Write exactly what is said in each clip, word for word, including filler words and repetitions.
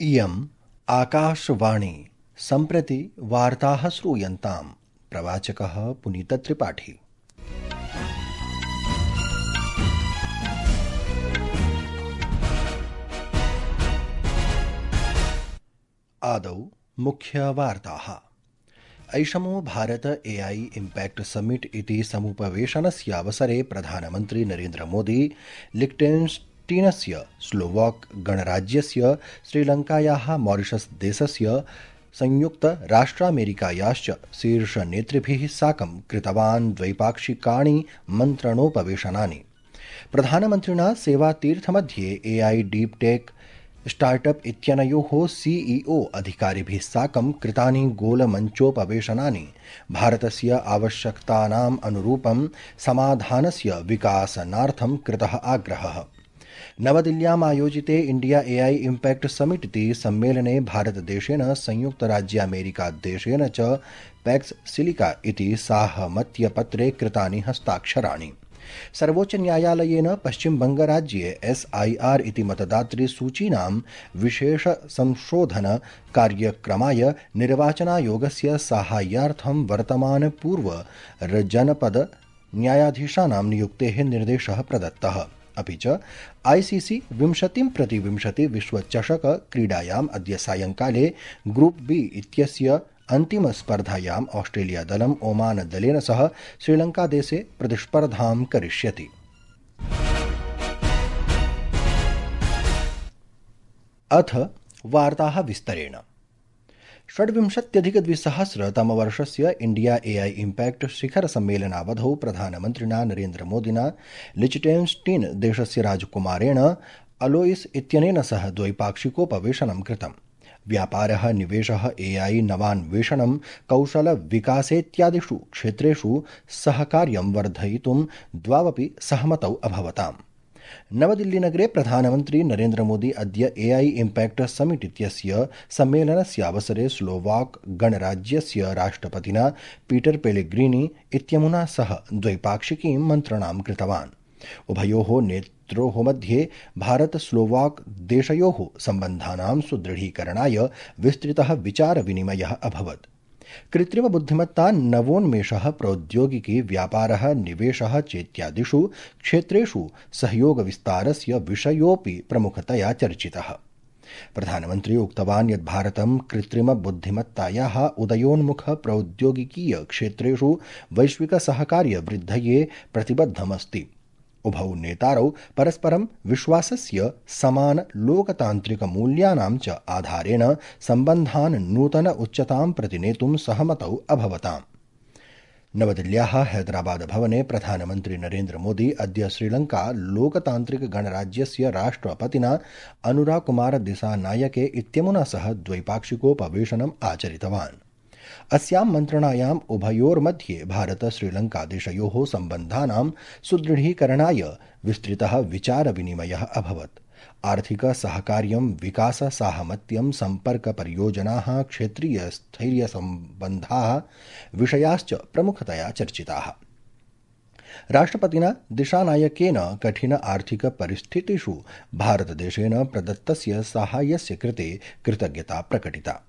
इयम् आकाशवाणी सम्प्रति वार्ताः श्रूयन्ताम्। प्रवाचकः पुनीतत्रिपाठी। आदौ मुख्यवार्ताः। ऐषमो भारत एआई इम्पैक्ट समिट इति समुपवेशनस्यावसरे प्रधानमन्त्री नरेन्द्र मोदी लिक्टेन्स्टीनस्य स्लोवाक गणराज्यस्य श्रीलङ्कायाः मॉरिशस देशस्य संयुक्तराष्ट्रामेरिकायाश्च शीर्षनेतृभिः साकं कृतवान् द्वैपाक्षिकाणि मन्त्रणोपवेशनानि। प्रधानमन्त्रिणा सेवातीर्थमध्ये एआई डीप टेक स्टार्टअप इत्यनयोः सीईओ अधिकारिभिः साकं कृतानि गोलमञ्चोपवेशनानि भारतस्य आवश्यकतानाम् अनुरूपं समाधानस्य विकासनार्थं कृतः आग्रहः। नवदिल्ल्याम् आयोजिते इंडिया एआई इम्पैक्ट समिट इति सम्मेलने भारतदेशेन संयुक्तराज्यामेरिकादेशेन च पैक्स सिलिका इति साहमत्यपत्रे कृतानि हस्ताक्षराणि। सर्वोच्चन्यायालयेन पश्चिमबंगराज्ये एसआईआर इति मतदातृसूचीनां विशेष संशोधन कार्यक्रमाय निर्वाचनायोगस्य साहाय्यार्थं वर्तमान पूर्व जनपद न्यायाधीशानां नियुक्तेः निर्देशः प्रदत्तः। अपि च आईसीसी विंशतिं प्रति विंशति विश्वचषक क्रीडायाम् अद्य सायंकाले ग्रुप बी इत्यस्य अन्तिमस्पर्धायाम् ऑस्ट्रेलिया दलम् ओमान दलेन सह श्रीलङ्कादेशे प्रतिस्पर्धां करिष्यति। अथ वार्ताः विस्तरेण। षड्विंशत्यधिकद्विसहस्रतमवर्षस्य इंडिया एआई इम्पैक्ट शिखर सम्मेलनावधौ प्रधानमन्त्रिणा नरेन्द्र मोदिना लिचटेन्स्टीन् देशस्य राजकुमारेण अलोइस इत्यनेन सह द्वैपाक्षिकोपवेशनं कृतम्। व्यापारः, निवेशः, एआई, नवान्वेषणं, कौशलविकासेत्यादिषु क्षेत्रेषु सहकार्यं वर्धयितुं द्वावपि सहमतौ अभवताम्। नवदिल्लीनगरे प्रधानमन्त्री नरेन्द्र मोदी अद्य एआई इम्पैक्ट समिट इत्यस्य सम्मेलनस्यावसरे स्लोवाक गणराज्यस्य राष्ट्रपतिना पीटर पेलेग्रीनी इत्यमुना सह द्वैपाक्षिकीं मन्त्रणां कृतवान्। उभयोः नेत्रोः मध्ये भारत स्लोवाक देशयोः सम्बन्धानां सुदृढीकरणाय विस्तृतः विचारविनिमयः अभवत्। कृत्रिम बुद्धिमत्ता, नवोन्मेषः, प्रौद्योगिकी, व्यापारः, निवेशः चेत्यादिषु क्षेत्रेषु सहयोगविस्तारस्य विषयोऽपि प्रमुखतया चर्चितः। प्रधानमन्त्री उक्तवान् यत् भारतं कृत्रिम बुद्धिमत्तायाः उदयोन्मुख प्रौद्योगिकीय क्षेत्रेषु वैश्विक सहकार्य वृद्धये प्रतिबद्धमस्ति। उभौ नेतारौ परस्परं विश्वासस्य, समान लोकतान्त्रिक मूल्यानां च आधारेण सम्बन्धान् नूतन उच्चतां प्रति नेतुं सहमतौ अभवताम्। नवदिल्ल्याः हैदराबाद भवने प्रधानमन्त्री नरेन्द्र मोदी अद्य श्रीलङ्का लोकतान्त्रिक गणराज्यस्य राष्ट्रपतिना अनुरा कुमार दिसानायके इत्यमुना सह द्वैपाक्षिकोपवेशनम् आचरितवान्। अस्यां मन्त्रणायाम् उभयोर्मध्ये भारत श्रीलङ्का देशयोः सम्बन्धानां सुदृढीकरणाय विस्तृतः विचारविनिमयः अभवत्। आर्थिक सहकार्यं, विकास साहमत्यं, सम्पर्क परियोजनाः, क्षेत्रीय स्थैर्य सम्बन्धाः विषयाश्च प्रमुखतया चर्चिताः। राष्ट्रपतिना दिशानायकेन कठिन आर्थिक परिस्थितिषु भारतदेशेन प्रदत्तस्य साहाय्यस्य कृते कृतज्ञता प्रकटिता।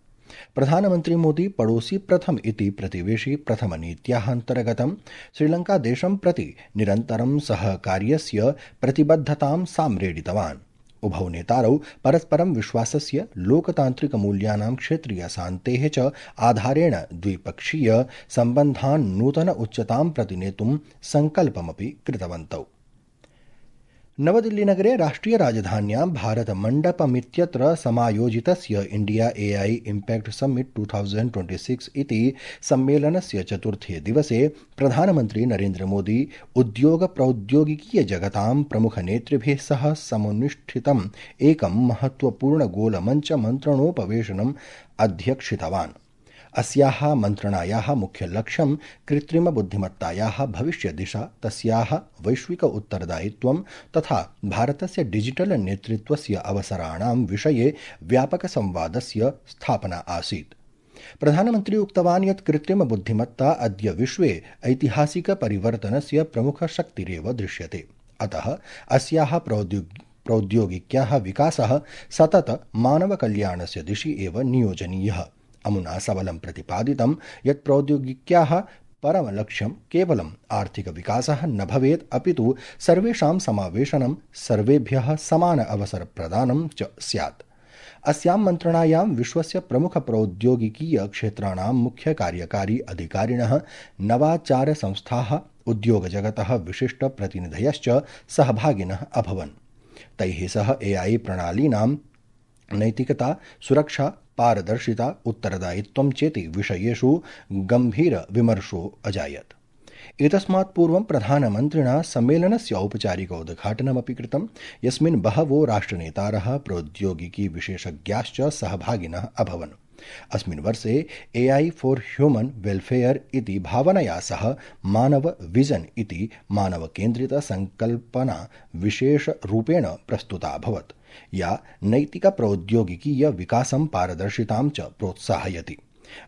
प्रधानमन्त्री मोदी पड़ोसी प्रथम इति प्रतिवेशी प्रथम नीत्याः अन्तर्गतं श्रीलङ्कादेशं प्रति निरन्तरं सहकार्यस्य प्रतिबद्धतां साम्रेडितवान्। उभौ नेतारौ परस्परं विश्वासस्य, लोकतान्त्रिकमूल्यानां, क्षेत्रीयशान्तेः च आधारेण द्विपक्षीय सम्बन्धान् नूतन उच्चतां प्रति नेतुं सङ्कल्पमपि कृतवन्तौ। नवदिल्लीनगरे राष्ट्रियराजधान्यां भारतमण्डपमित्यत्र समायोजितस्य India AI impact summit two thousand twenty six इति सम्मेलनस्य चतुर्थे दिवसे प्रधानमन्त्री नरेन्द्र मोदी उद्योग प्रौद्योगिकीय जगतां प्रमुखनेतृभिः सह समुन्निष्ठितम् एकं महत्वपूर्ण गोलमञ्च मन्त्रणोपवेशनम् अध्यक्षितवान्। अस्याः मन्त्रणायाः मुख्यलक्ष्यं कृत्रिम बुद्धिमत्तायाः भविष्यदिशा, तस्याः वैश्विक उत्तरदायित्वं तथा भारतस्य डिजिटल नेतृत्वस्य अवसराणां विषये व्यापकसंवादस्य स्थापना आसीत्। प्रधानमन्त्री उक्तवान् यत् कृत्रिम बुद्धिमत्ता अद्य विश्वे ऐतिहासिक परिवर्तनस्य प्रमुखशक्तिरेव दृश्यते। अतः अस्याः प्रौद्योगिकी प्रौद्योगिक्याः विकासः सतत मानवकल्याणस्य दिशि एव नियोजनीयः। अमुना सबलं प्रतिपादितं यत् प्रौद्योगिक्याः परमलक्ष्यं केवलम् आर्थिकविकासः न भवेत्, अपितु सर्वेषां समावेशनं, सर्वेभ्यः समान अवसरप्रदानं च स्यात्। अस्यां मन्त्रणायां विश्वस्य प्रमुखप्रौद्योगिकीय क्षेत्राणां मुख्यकार्यकारी अधिकारिणः, नवाचारसंस्थाः, उद्योगजगतः विशिष्टप्रतिनिधयश्च सहभागिनः अभवन्। तैः सह एआई प्रणालीनां नैतिकता, सुरक्षा, पारदर्शिता, उत्तरदायित्वं चेति विषयेषु गम्भीरविमर्शो अजायत्। एतस्मात् पूर्वं प्रधानमन्त्रिणा सम्मेलनस्य औपचारिकोद्घाटनमपि कृतं, यस्मिन् बहवो राष्ट्रनेतारः, प्रौद्योगिकी विशेषज्ञाश्च सहभागिनः अभवन्। अस्मिन् वर्षे एआई फॉर ह्यूमन वेलफेयर इति भावनया सह मानव विजन इति मानवकेन्द्रितसङ्कल्पना विशेषरूपेण प्रस्तुता अभवत्, या नैतिकप्रौद्योगिकीय विकासं, पारदर्शितां च प्रोत्साहयति।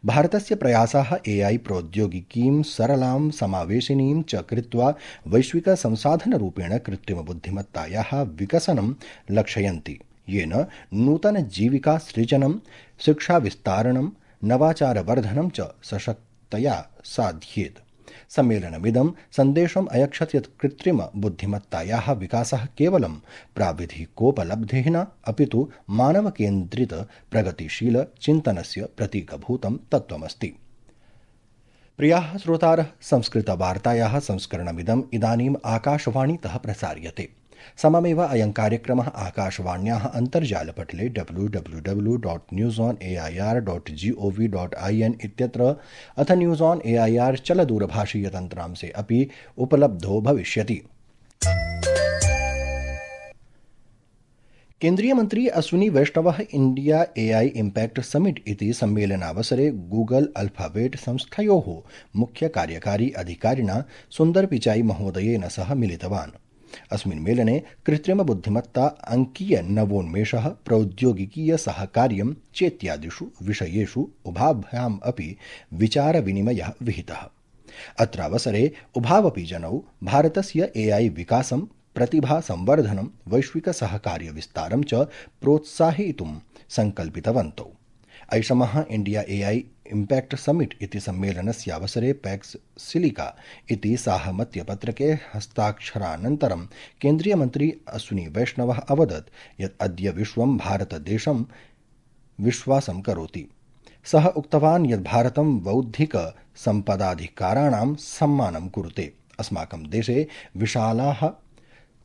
भारतस्य प्रयासाः एआई प्रौद्योगिकीं सरलां, समावेशिनीं च कृत्वा वैश्विकसंसाधनरूपेण कृत्रिमबुद्धिमत्तायाः विकसनं लक्षयन्ति, येन नूतनजीविका सृजनं, शिक्षाविस्तारणं, नवाचारवर्धनं च सशक्तया साध्येत्। सम्मेलनमिदं सन्देशम् अयच्छत् यत् कृत्रिमबुद्धिमत्तायाः विकासः केवलं प्राविधिकोपलब्धिः न, अपितु मानवकेन्द्रित प्रगतिशील चिन्तनस्य प्रतीकभूतं तत्त्वमस्ति। प्रियाः श्रोतारः, संस्कृतवार्तायाः संस्करणमिदम् इदानीम् आकाशवाणीतः प्रसार्यते। सममेव अयं कार्यक्रमः आकाशवाण्याः अन्तर्जालपटले W W W dot news on A I R dot G O V dot I N इत्यत्र अथ news on A I R चलदूरभाषीयतन्त्रांशे अपि उपलब्धो भविष्यति। केन्द्रीय मन्त्री अश्विनी वैष्णवः इंडिया एआई इम्पैक्ट समिट इति सम्मेलनावसरे गूगल अल्फाबेट संस्थयोः मुख्यकार्यकारी अधिकारिणा सुन्दर पिचाई महोदयेन सह मिलितवान्। अस्मिन् मेलने कृत्रिमबुद्धिमत्ता, अंकीय नवोन्मेषः, प्रौद्योगिकीय सहकार्यं चेत्यादिषु विषयेषु उभाभ्याम् अपि विचारविनिमयः विहितः। अत्रावसरे उभावपि जनौ भारतस्य एआई विकासं, प्रतिभा संवर्धनं, वैश्विक सहकार्य विस्तारं च प्रोत्साहयितुं संकल्पितवन्तौ। ऐषमः इंडिया एआई इम्पैक्ट समिट इति सम्मेलनस्यावसरे पैक्स सिलिका इति साहमत्यपत्रके हस्ताक्षरानन्तरं केन्द्रीयमन्त्री अश्विनी वैष्णवः अवदत् यत् अद्य विश्वं भारतदेशं विश्वासं करोति। सः उक्तवान् यत् भारतं बौद्धिक सम्पदाधिकाराणां सम्मानं कुरुते। अस्माकं देशे विशालाः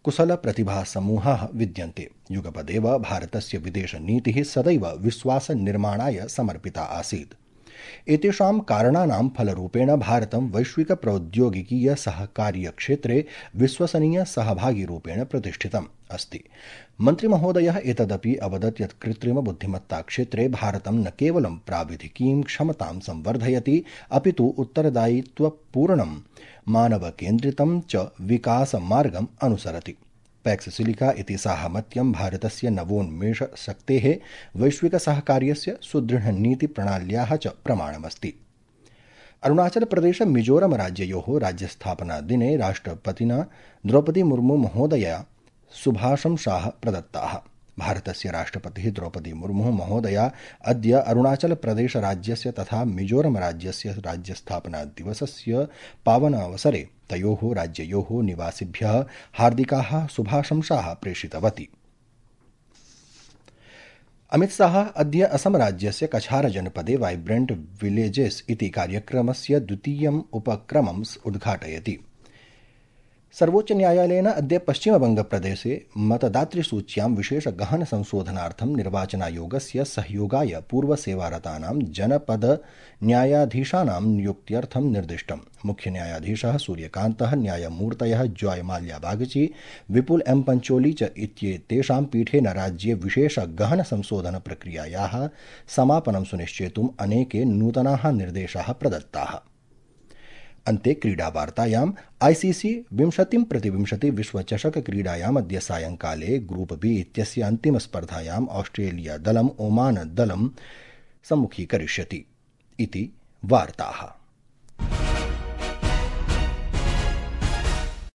कुशलप्रतिभासमूहाः विद्यन्ते। युगपदेव भारतस्य विदेशनीतिः सदैव विश्वासनिर्माणाय समर्पिता आसीत्। एतेषां कारणानां फलरूपेण भारतं वैश्विकप्रौद्योगिकीय सहकार्यक्षेत्रे विश्वसनीय सहभागिरूपेण प्रतिष्ठितम् अस्ति। मन्त्रिमहोदयः एतदपि अवदत् यत् कृत्रिमबुद्धिमत्ताक्षेत्रे भारतं न केवलं प्राविधिकीं क्षमतां संवर्धयति, अपितु उत्तरदायित्वपूर्णं, मानवकेन्द्रितं च विकासमार्गम् अनुसरति। पैक्स सिलिका इति साहमत्यं भारतस्य नवोन्मेषशक्तेः, वैश्विकसहकार्यस्य, सुदृढनीतिप्रणाल्याः च प्रमाणमस्ति। अरुणाचलप्रदेश मिजोरम राज्ययोः राज्यस्थापनादिने राष्ट्रपतिना द्रौपदी मुर्मू महोदया शुभाशंसाः प्रदत्ताः। भारतस्य राष्ट्रपतिः द्रौपदी मुर्मू महोदया अद्य अरुणाचलप्रदेशराज्यस्य तथा मिजोरमराज्यस्य राज्यस्थापनादिवसस्य पावनावसरे तयोः राज्ययोः निवासिभ्यः हार्दिकाः शुभाशंसाः प्रेषितवती। अमित शाह अद्य असम राज्यस्य कछार जनपदे वाइब्रेंट विलेजेस इति कार्यक्रमस्य द्वितीयम् उपक्रमम् उद्घाटयति। सर्वोच्चन्यायालयेन अद्य पश्चिमबंगप्रदेशे मतदातृसूच्यां विशेष गहन संशोधनार्थं निर्वाचनायोगस्य सहयोगाय पूर्वसेवारतानां जनपद न्यायाधीशानां नियुक्त्यर्थं निर्दिष्टम्। मुख्यन्यायाधीशः सूर्यकान्तः, न्यायमूर्तयः जॉय माल्या बागची, विपुल एम पंचोली च इत्येतेषां पीठेन राज्ये विशेष गहन संशोधन प्रक्रियायाः समापनं सुनिश्चेतुम् अनेके नूतनाः निर्देशाः प्रदत्ताः। अन्ते क्रीडावार्तायाम् आईसीसी विंशतिं प्रतिविंशति विश्वचषक क्रीडायाम् अद्य सायंकाले ग्रुप बी इत्यस्य अन्तिमस्पर्धायाम् ऑस्ट्रेलिया दलम् ओमान दलं सम्मुखीकरिष्यति इति वार्ताः।